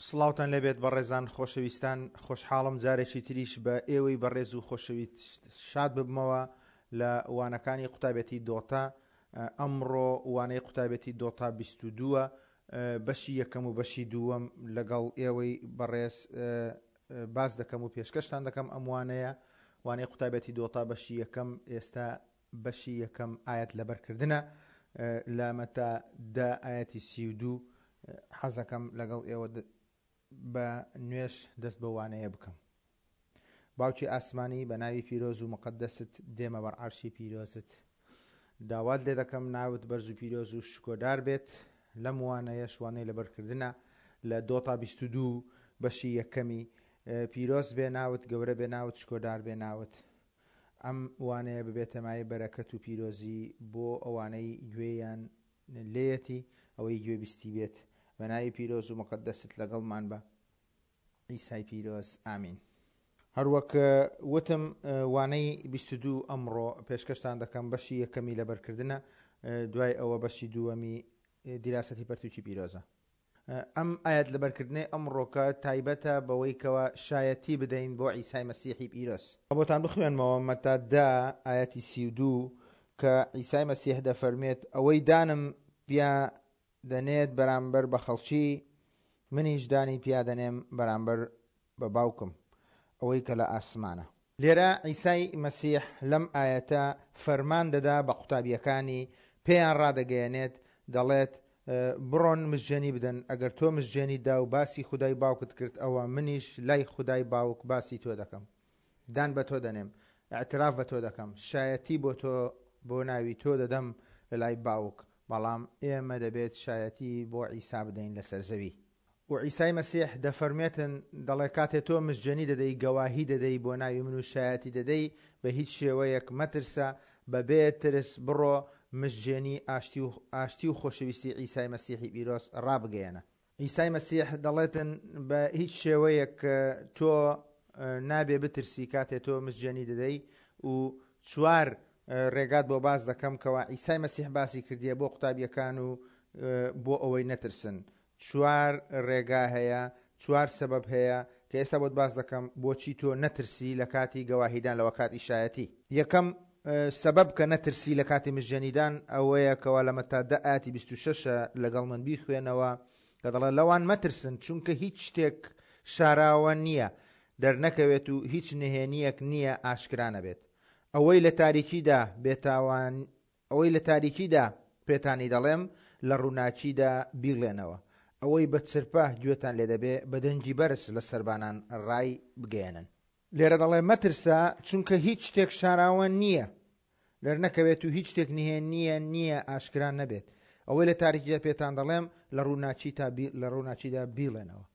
سڵاوتان لێبێت بەڕێزان خۆشەویستان خۆشحاڵم جارێکی تریش بە ئێوەی بەڕێز و خۆشەویست شاد ببمەوە لە وانەکانی قوتابێتی دۆتا ئەمڕۆ وانەی قوتابێتی دۆتا 22 بەشی یەکەم و بەشی دووەم لەگەڵ ئێوەی بەڕێز باس دەکەم و پێشکەشتان دەکەم ئەم وانەیە وانەی قوتابێتی دۆتا بەشی یەکەم ئێستا بەشی یەکەم ئایەت لەبەرکردنە لە مەتا دە ئایەتی 32 حەزەکەم لەگەڵ ئێوە بە نوێژ دەست بە وانەیە بکەم. باوکی ئاسمانی بە ناوی پیرۆز و مقدست دێمە بەر عەرشی پیرۆزت داوات لێ دەکەم ناوت بەرز و پیرۆز و شکۆدار بێت لەم وانەیەش وانەی لەبەرکردنە لە دۆتا 22 بەشی یەکەمی پیرۆز بێ ناوت گەورە بێ ناوت شکۆدار بێ ناوت ئەم وانەیە ببێتە مایەی بەرەکەت و پیرۆزی بۆ ئەوانەی گوێیان لێیەتی، ئەوەی گوێبیستی بێت. بە ناوی پیرۆز و موقەدەست لەگەڵمان بە عیسای پیرۆز. ئامین. هەروەک وتم وانەی 22 ئەمڕۆ پێشکەشتان دەکەم، بەشی یەکەمی لەبەرکردنە، دوای ئەوە بەشی دووەمی دیراسەتی پەرتوکی پیرۆزە. ئەم ئایەت لەبەرکردنەی ئەمڕۆکە تایبەتە بەوەی کەوا شایەتی بدەین بۆ عیسای مەسیحی پیرۆز. بۆتان بخوێنمەوە مەتا دە ئایەتی 32 کە عیسای مەسیح دەفەرموێت ئەوەی دانم پیا دەنێت بەرامبەر بە خەڵکی منیش دانی پیا دەنێم بەرامبەر بە باوکم ئەوەی کە لە ئاسمانە. لێرە عیسای مەسیح لەم ئایەتە فەرمان دەدا بە قوتابییەکانی، پێیان ڕادەگەیەنێت، دەڵێت، بڕۆن مزگێنی بدەن، ئەگەر تۆ مزگێنیت دا و باسی خودای باوکت کرد، ئەوە منیش لای خودای باوک باسی تۆ دەکەم. دان بە تۆ دەنێم، ئیعتراف بە تۆ دەکەم، شایەتی بۆ تۆ بۆ ناوی تۆ دەدەم لە لای باوک، بەڵام ئێمە دەبێت شایەتی بۆ عیسا بدەین لەسەر زەوی. و عیسای مەسیح دەفەرموێتن، دەڵێ، کاتێ تۆ مزگێنی دەدەی، گەواهی دەدەی بۆ ناوی من و شایەتی دەدەی، بە هیچ شێوەیەک مەترسە، بە بێ ترس بڕۆ، مزگێنی ئاشتی و ئاشتی و خۆشەویستی عیسای مەسیحی پیرۆز ڕابگەیەنە. عیسای مەسیح دەڵێتن، بە هیچ شێوەیەک تۆ نابێ بترسی کاتێ تۆ مزگێنی دەدەی و چوار ڕێگات بۆ باس دەکەم کەوا عیسای مەسیح باسی کردیە بۆ قوتابیەکان و بۆ ئەوەی نەترسن. چوار ڕێگا هەیە، چوار سەبەب هەیە کە ئێستا بۆت باس دەکەم بۆچی تۆ نەترسی لە کاتی گەواهیدان لە وەکاتی شایەتی. یەکەم سەبەب کە نەترسی لە کاتی مژێنیدان ئەوەیە کەوا لە مەتا دە ئایەتی 26 لەگەڵ من بیخوێنەوە کە دەڵێ لەوان مەترسن چونکە هیچ شتێک شاراوە نییە دەرنەکەوێت و هیچ نهێنییەک نییە ئاشکرا نەبێت. ئەوەی لە تاریکیدا بێتاوان ئەوەی لە تاریکیدا پێتانی دەڵێم، لە ڕووناکیدا بیڵێنەوە. ئەوەی بە چرپە گوێتان لێ دەبێ، بە دەنگی بەرز لە سەربانان ڕای بگەیەنن. لێرە دەڵێ مەترسە، چونکە هیچ شتێک شاراوە نییە دەرنەکەوێت و هیچ شتێک نهێنییە نییە ئاشکرا نەبێت. ئەوەی لە تاریکیدا پێتان دەڵێم، لە ڕووناکیدا بیڵێنەوە.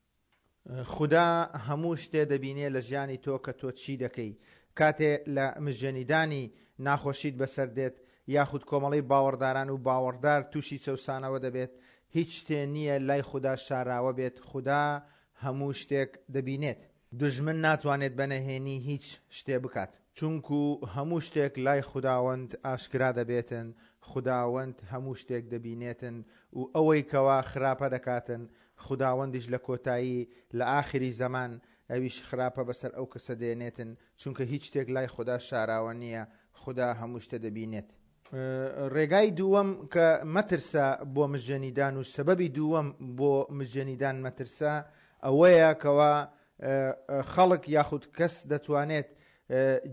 خودا هەموو شتێ دەبینێ لە ژیانی تۆ کە تۆ چی دەکەی کاتێ لە مژێنیدانی ناخۆشیت بەسەر دێت یاخود کۆمەڵەی باوەڕداران و باوەڕدار توشی چەوسانەوە دەبێت هیچ شتێ نییە لای خودا شاراوە بێت خودا هەموو شتێک دەبینێت. دوژمن ناتوانێت بە نەهێنی هیچ شتێ بکات. چونکو هەموو شتێک لای خوداوەند ئاشکرا دەبێتن، خوداوەند هەموو شتێک دەبینێتن و ئەوەی کەوا خراپە دەکاتن خوداوەندیش لە کۆتایی، لە ئاخری زەمان، ئەویش خراپە بەسەر ئەو کەسە دێنێتن، چونکە هیچ شتێک لای خودا شاراوە نییە، خودا هەموو شتە دەبینێت. ڕێگای دووەم کە مەترسە بۆ مژێنیدان و سەبەبی دووەم بۆ مژێنیدان مەترسە ئەوەیە کەوا خەڵک یاخود کەس دەتوانێت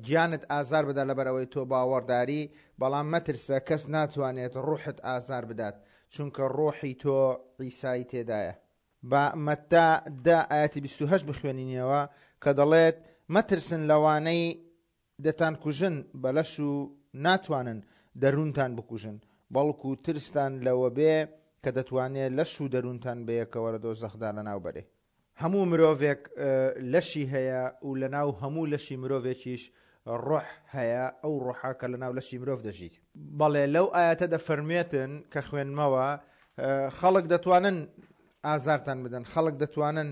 گیانت ئازار بدات لەبەر ئەوەی تۆ باوەڕداری، بەڵام مەترسە کەس ناتوانێت ڕوحت ئازار بدات، چونکە ڕۆحی تۆ عیسای تێدایە. با مەتا دە ئایەتی 28 بخوێنینەوە کە دەڵێت، مەترسن لەوانەی دەتانکوژن بە لەش و ناتوانن دەروونتان بکوژن، بەڵکو ترستان لەوەبێ کە دەتوانێ لەش و دەروونتان بەیەکەوە لە دۆزەخدا لەناوبەرێ. هەموو مرۆڤێک لەشی هەیە و لەناو هەموو لەشی مرۆڤێکیش ڕۆح هەیە، ئەو ڕۆحە کە لەناو لەشی مرۆڤ دەژیت. بەڵێ لەو ئایەتە دەفەرموێتن کە خوێندمەوە، خەڵک دەتوانن ئازارتان بدەن، خەڵک دەتوانن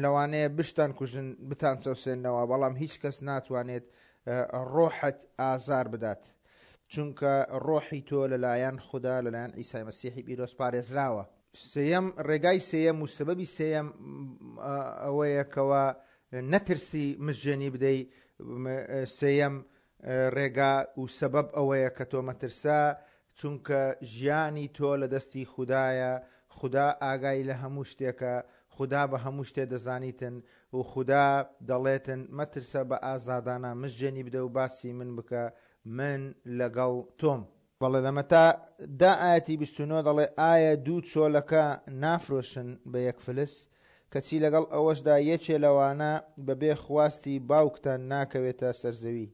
لەوانەیە بشتان کوژن، بتان چەوسێننەوە، بەڵام هیچ کەس ناتوانێت ڕۆحت ئازار بدات، چونکە ڕۆحی تۆ لەلایەن خودا، لەلایەن عیسای مەسیحی پیرۆز پارێزراوە. سێیەم، ڕێگای سێیەم و سەبەبی سێیەم ئەوەیە کەوا نەترسی مژێنی بدەی، سێیەم ڕێگا و سەبەب ئەوەیە کە تۆ مەترسە، چونکە ژیانی تۆ لە دەستی خودایە، خودا ئاگای لە هەموو شتێکە، خودا بە هەموو شتێ دەزانیتن و خودا دەڵێتن مەترسە بە ئازادانە مژێنی بدە و باسی من بکە من لەگەڵ تۆم. بەڵێ لە مەتا دا ئایەتی 29 دەڵێ ئایا دوو چۆلەکە نافرۆشن بە یەک فلس؟ کەچی لەگەڵ ئەوەشدا یەکێ لەوانە بەبێ خواستی باوکتان ناکەوێتە سەر زەوی.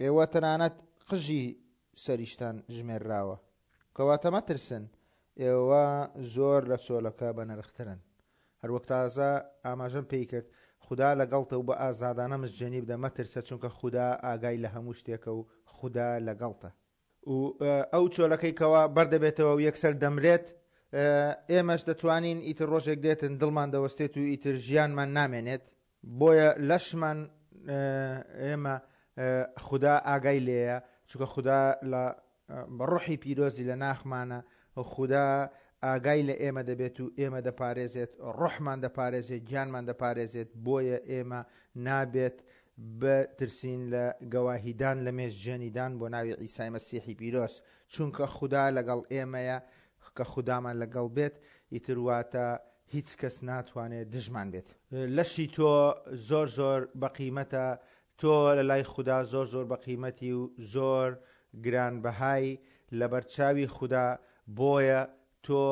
ئێوە تەنانەت قژی سەریشتان ژمێرراوە. کەواتە مەترسن، ئێوە زۆر لە چۆلەکە بەنرخترن. هەروەک تازە ئاماژەم پێی کرد، خودا لەگەڵتە و بە ئازادانە مزجێنی بدە، مەترسە چونکە خودا ئاگای لە هەموو شتێکە و خودا لەگەڵتە. و ئەو چۆلەکەی کەوا بەردەبێتەوە و یەکسەر دەمرێت، ئێمەش دەتوانین ئیتر ڕۆژێک دێتن دڵمان دەوەستێت و ئیتر ژیانمان نامێنێت، بۆیە لەشمان ئێمە خودا ئاگای لێیە، چونکە خودا لە بە ڕۆحی پیرۆزی لە ناخمانە و خودا ئاگای لە ئێمە دەبێت و ئێمە دەپارێزێت، ڕۆحمان دەپارێزێت، گیانمان دەپارێزێت، بۆیە ئێمە نابێت بترسین لە گەواهیدان لە مێژژێنیدان بۆ ناوی عیسای مەسیحی پیرۆز، چونکە خودا لەگەڵ ئێمەیە، کە خودامان لەگەڵ بێت ئیتر واتە هیچ کەس ناتوانێت دژمان بێت. لەشی تۆ زۆر زۆر بەقیمەتە، تۆ لە لای خودا زۆر زۆر بەقیمەتی و زۆر گرانبەهای لەبەرچاوی خودا، بۆیە تۆ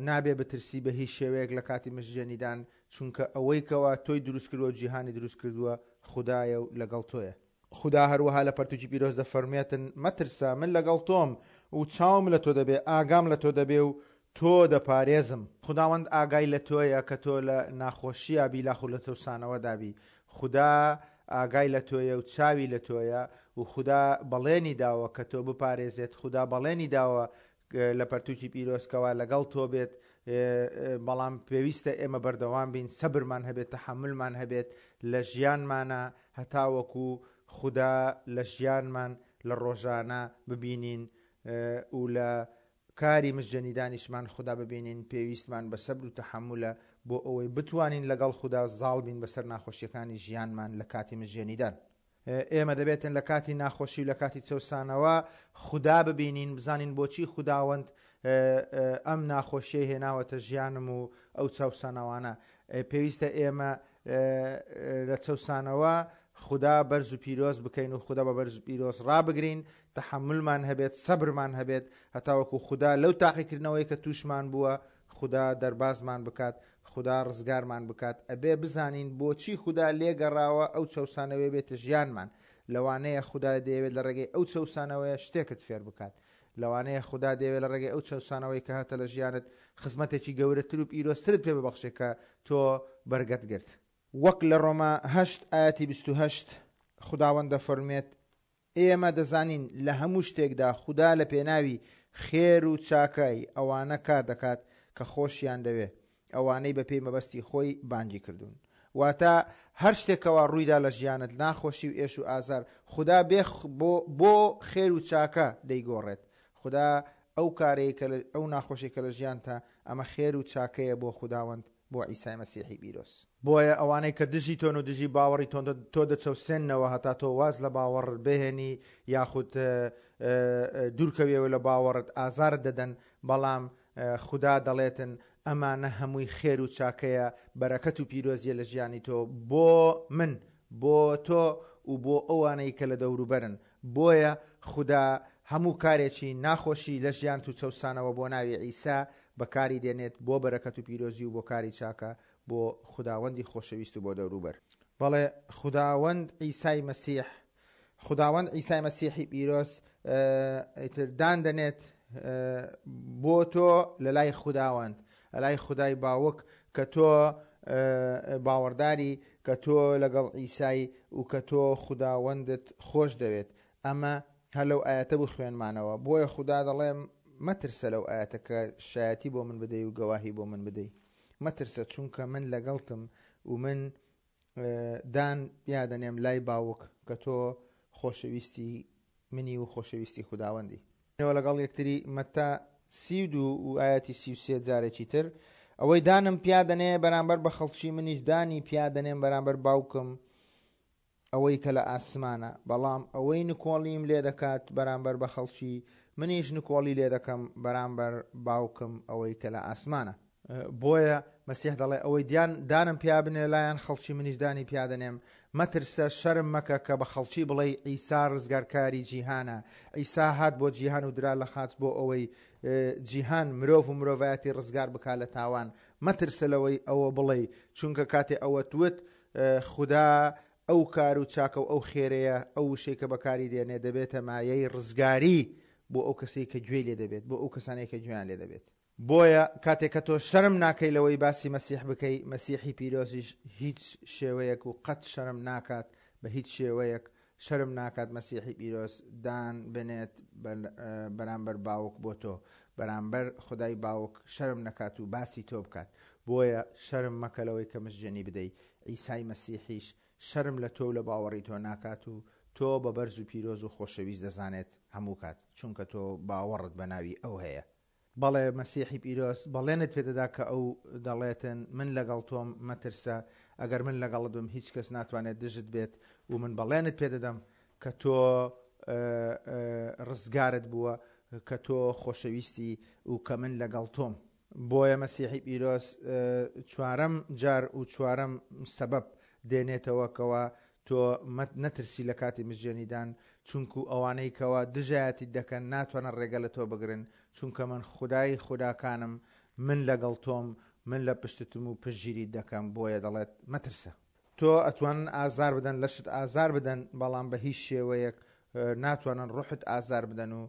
نابێ بترسی بە هیچ شێوەیەک لە کاتی مژژێنیدان، چونکە ئەوەی کەوا تۆی دروست کردووە و جیهانی دروست کردووە خودایە و لەگەڵ تۆیە. خودا هەروەها لە پەرتوکی پیرۆز دەفەرموێتن، مەترسە، من لەگەڵ تۆم و چاوم لە تۆ دەبێ، ئاگام لە تۆ دەبێ و تۆ دەپارێزم. خوداوەند ئاگای لە تۆیە کە تۆ لە ناخۆشییا بی لاخود لە چەوسانەوەدا بی. خودا ئاگای لە تۆیە و چاوی لە تۆیە و خودا بەڵێنی داوە کە تۆ بپارێزێت، خودا بەڵێنی داوە لە پەرتوکی پیرۆز کەوا لەگەڵ تۆ بێت، بەڵام پێویستە ئێمە بەردەوام بین، سەبرمان هەبێت، تەحەمولمان هەبێت لە ژیانمانا هەتاوەکو خودا لە ژیانمان لە ڕۆژانە ببینین و لە کاری مژجەنیدانیشمان خودا ببینین، پێویستمان بە سەبر و تەحەمولە بۆ ئەوەی بتوانین لەگەڵ خودا زاڵ بین بەسەر ناخۆشیەکانی ژیانمان لە کاتی مژجەنیدان. ئێمە دەبێتن لە کاتی ناخۆشی و لە کاتی چەوسانەوە خودا ببینین، بزانین بۆچی خوداوەند ئەم ناخۆشیەی هێناوەتە ژیانم و ئەو چەوسانەوانە. پێویستە ئێمە لە چەوسانەوە خودا بەرز و پیرۆز بکەین و خودا بە بەرز و پیرۆز ڕابگرین، تەحەمولمان هەبێت، سەبرمان هەبێت هەتاوەکو خودا لەو تاقیکردنەوەی کە تووشمان بووە خودا دەربازمان بکات، خودا ڕزگارمان بکات، ئەبێ بزانین بۆچی خودا لێگەڕاوە ئەو چەوسانەوەیە بێتە ژیانمان، لەوانەیە خودا دەیەوێت لە ڕێگەی ئەو چەوسانەوەیە شتێکت فێر بکات، لەوانەیە خودا دەیەوێت لە ڕێگەی ئەو چەوسانەوەی کە هەتە لە ژیانت خزمەتێکی گەورەتر و پیرۆزترت پێ ببەخشێ کە تۆ بەرگەت گرت. وەک لە ڕۆما هەشت ئایەتی 28 خوداوەند دەفەرموێت، ئێمە دەزانین لە هەموو شتێکدا خودا لە پێناوی خێر و چاکەی ئەوانە کار دەکات کە خۆشیان دەوێ، ئەوانەی بەپێی مەبەستی خۆی بانگی کردوون. واتە هەر شتێک کەوا ڕوویدا لە ژیانت، ناخۆشی و ئێش و ئازار، خودا بێ بۆ بۆ خێر و چاکە دەیگۆڕێت. خودا ئەو کارەی کە لە ئەو ناخۆشی کە لە ژیانتە، ئەمە خێر و چاکەیە بۆ خوداوەند، بۆ عیسای مەسیحی پیرۆز. بۆیە ئەوانەی کە دژی تۆن و دژی باوەڕی تۆن تۆ دەچەوسێننەوە هەتا تۆ واز لە باوەڕت بهێنی یاخود دوورکەویەوە لە باوەڕت ئازارت دەدەن، بەڵام خودا دەڵێتن ئەمانە هەمووی خێر و چاکەیە بەرەکەت و پیرۆزیە لە ژیانی تۆ بۆ من بۆ تۆ و بۆ ئەوانەی کە لە دەوروبەرن بۆیە خودا هەموو کارێکی ناخۆشی لە ژیانت و چەوسانەوە بۆ ناوی عیسا بەکاری دێنێت بۆ بەرەکەت و پیرۆزی و بۆ کاری چاکە بۆ خوداوەندی خۆشەویست و بۆ دەوروبەر. بەڵێ خوداوەند عیسای مەسیح خوداوەند عیسای مەسیحی پیرۆز ئیتر دان دەنێت بۆ تۆ لە لای خوداوەند لە لای خودای باوک کە تۆ باوەڕداری کە تۆ لەگەڵ عیسای و کە تۆ خوداوەندت خۆش دەوێت ئەمە هەر لەو ئایەتە بوو خوێنمانەوە بۆیە خودا دەڵێ مەترسە لەو ئایەتە کە شایەتی بۆ من بدەی و گەواهی بۆ من بدەی مەترسە چونکە من لەگەڵتم و من دان پیادەنێم لای باوک کە تۆ خۆشەویستی منی و خۆشەویستی خوداوەندی. لەگەڵ یەکتری مەتا 32 و ئایەتی 33 جارێکی تر. ئەوەی دانم پیا دەنێ بەرامبەر بە خەڵکی منیش دانی پیا دەنێم بەرامبەر باوکم ئەوەی کە لە ئاسمانە، بەڵام ئەوەی نکۆڵیم لێ دەکات بەرامبەر بە خەڵکی، منیش نکۆڵی لێ دەکەم بەرامبەر باوکم ئەوەی کە لە ئاسمانە. بۆیە مەسیح دەڵێ، ئەوەی دیان دانم پیا بنێ لایەن خەڵکی منیش دانی پیا دەنێم. مەترسە، شەرم مەکە کە بە خەڵکی بڵێی عیسا ڕزگارکاری جیهانە. عیسا هات بۆ جیهان و درا لە خاچ بۆ ئەوەی جیهان، مرۆڤ و مرۆڤایەتی ڕزگار بکا لە تاوان. مەترسە لەوەی ئەوە بڵێی، چونکە کاتێ ئەوەت وت، خودا ئەو کار و چاکە و ئەو خێرەیە، ئەو وشەی کە بەکاری دێنێ دەبێتە مایەی ڕزگاری بۆ ئەو کەسەی کە گوێی لێ دەبێت، بۆ ئەو کەسانەی کە گوێیان لێ دەبێت. بۆیە کاتێک کە تۆ شەرم ناکەی لەوەی باسی مەسیح بکەی، مەسیحی پیرۆزیش هیچ شێوەیەک و قەت شەرم ناکات، بە هیچ شێوەیەک شەرم ناکات مەسیحی پیرۆز دان بنێت بەرامبەر باوک بۆ تۆ، بەرامبەر خودای باوک شەرم نەکات و باسی تۆ بکات. بۆیە شەرم مەکە لەوەی کە مژجێنی بدەی، عیسای مەسیحیش شەرم لە تۆ و لە باوەڕی تۆ ناکات و تۆ بە بەرز و پیرۆز و خۆشەویست دەزانێت هەموو کات، چونکە تۆ باوەڕت بە ناوی ئەو هەیە. بەڵێ مەسیحی پیرۆز بەڵێنت پێدەدا کە ئەو دەڵێتن، من لەگەڵ تۆم، مەترسە، ئەگەر من لەگەڵت بم هیچ کەس ناتوانێت دژت بێت و من بەڵێنت پێدەدەم کە تۆ ڕزگارت بووە، کە تۆ خۆشەویستی و کە من لەگەڵ تۆم. بۆیە مەسیحی پیرۆز چوارەم جار و چوارەم سەبەب دێنێتەوە کەوا تۆ نەترسی لە کاتی مزگێنیدان، چونکو ئەوانەی کەوا دژایەتیت دەکەن ناتوانن ڕێگە لە تۆ بگرن، چونکە من خودای خوداکانم، من لەگەڵ تۆم، من لە پشتتم و پشتگیریت دەکەم، بۆیە دەڵێت، مەترسە. تۆ ئەتوانن ئازار بدەن، لەشت ئازار بدەن، بەڵام بە هیچ شێوەیەک ناتوانن ڕۆحت ئازار بدەن و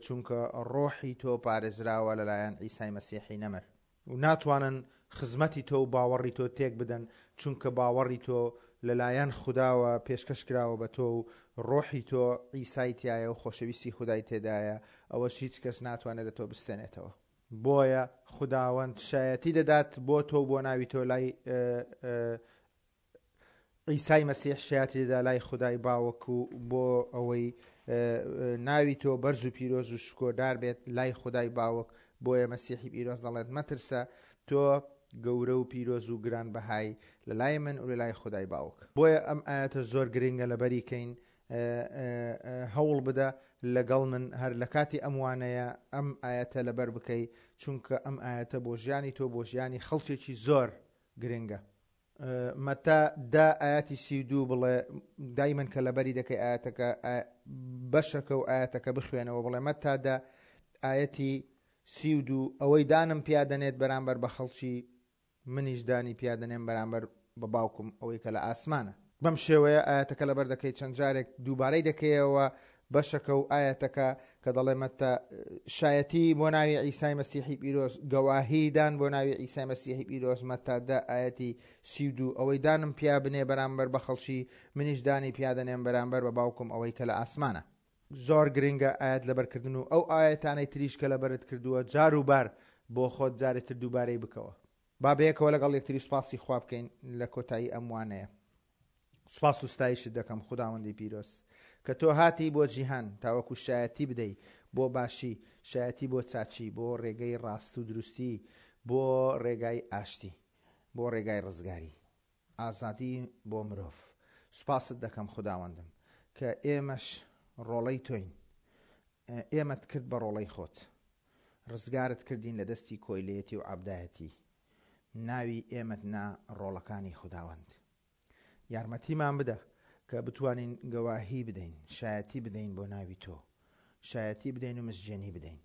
چونکە ڕۆحی تۆ پارێزراوە لەلایەن عیسای مەسیحی نەمر. و ناتوانن خزمەتی تۆ و باوەڕی تۆ تێک بدەن، چونکە باوەڕی تۆ لەلایەن خوداوە پێشکەش کراوە بە تۆ و ڕۆحی تۆ عیسای تیایە و خۆشەویستی خودای تێدایە، ئەوەش هیچ کەس ناتوانێت لە تۆ بستێنێتەوە. بۆیە خوداوەند شایەتی دەدات بۆ تۆ و بۆ ناوی تۆ لای عیسای مەسیح شایەتی دەدا لای خودای باوک و بۆ ئەوەی ناوی تۆ بەرز و پیرۆز و شکۆدار بێت لای خودای باوک، بۆیە مەسیحی پیرۆز دەڵێت مەترسە، تۆ گەورە و پیرۆز و گران بەهای لە لای من و لە لای خودای باوک. بۆیە ئەم ئایەتە زۆر گرنگە لەبەری کەین، هەوڵ بدە لەگەڵ من هەر لە کاتی ئەم وانەیە ئەم ئایەتە لەبەر بکەی، چونکە ئەم ئایەتە بۆ ژیانی تۆ بۆ ژیانی خەڵکێکی زۆر گرنگە. مەتا دە ئایەتی 32 بڵێ دایمەن کە لەبەری دەکەی ئایەتەکە بەشەکە و ئایەتەکە بخوێنەوە بڵێ مەتا دە ئایەتی 32 ئەوەی دانم پیا دەنێت بەرامبەر بە خەڵکی منیش دانی پیا دەنێم بەرامبەر بە باوکم ئەوەی کە لە ئاسمانە. بەم شێوەیە ئایەتەکە لەبەر دەکەی چەند جارێک دووبارەی دەکەیەوە بەشەکە و ئایەتەکە کە دەڵێ مەتتا شایەتی بۆ ناوی عیسای مەسیحی پیرۆز گەواهی دان بۆ ناوی عیسای مەسیحی پیرۆز مەتتا دە ئایەتی 32 ئەوەی دانم پیا بنێ بەرامبەر بە خەڵکی منیش دانی پیا دەنێم بەرامبەر بە باوکم ئەوەی کە لە ئاسمانە. زۆر گرنگە ئایەت لەبەرکردن و ئەو ئایەتانەی تریش کە لەبەرت کردووە جار و بار بۆ خۆت جارێ تر دووبارەی بکەوە. با بەیەکەوە لەگەڵ یەکتری سوپاسی خوا بکەین لە کۆتایی ئەم وانەیە. سوپاس و ستایشت دەکەم خوداوەندی پیرۆز کە تۆ هاتی بۆ جیهان تاوەکو شایەتی بدەی بۆ باشی، شایەتی بۆ چاکی، بۆ ڕێگەی ڕاست و دروستی، بۆ ڕێگای ئاشتی، بۆ ڕێگای ڕزگاری، ئازادی بۆ مرۆڤ. سوپاست دەکەم خوداوەندم کە ئێمەش ڕۆڵەی تۆین، ئێمەت کرد بە ڕۆڵەی خۆت، ڕزگارت کردین لە دەستی کۆیلەیەتی و عەبدایەتی، ناوی ئێمەت نا ڕۆڵەکانی خوداوەند. یارمەتیمان بدە کە بتوانین گەواهی بدەین، شایەتی بدەین بۆ ناوی تۆ، شایەتی بدەین و مزگێنی بدەین،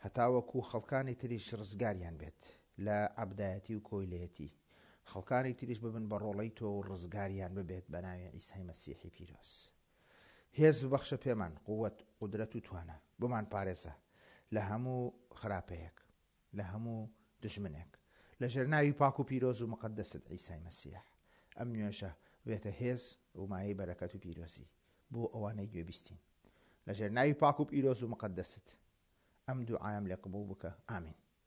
هەتاوەکو خەڵکانی تریش ڕزگاریان بێت لە عەبدایەتی و کۆیلەیەتی، خەڵکانی تریش ببن بە ڕۆڵەی تۆ و ڕزگاریان ببێت بە ناوی عیسای مەسیحی پیرۆز. هێز ببەخشە پێمان، قوت، قودرەت و توانا، بمانپارێزە لە هەموو خراپەیەک. لە هەموو دوژمنێک. لە ژێر ناوی پاک و پیرۆز و موقەدەست عیسای مەسیح ئەم نوێژە بێتە هێز و مایەی بەرەکەت و پیرۆزی بۆ ئەوانەی گوێبیستین. لە ژێر ناوی پاک و پیرۆز و موقەدەست ئەم دوعایەم لێ قبوڵ بکە. ئامین.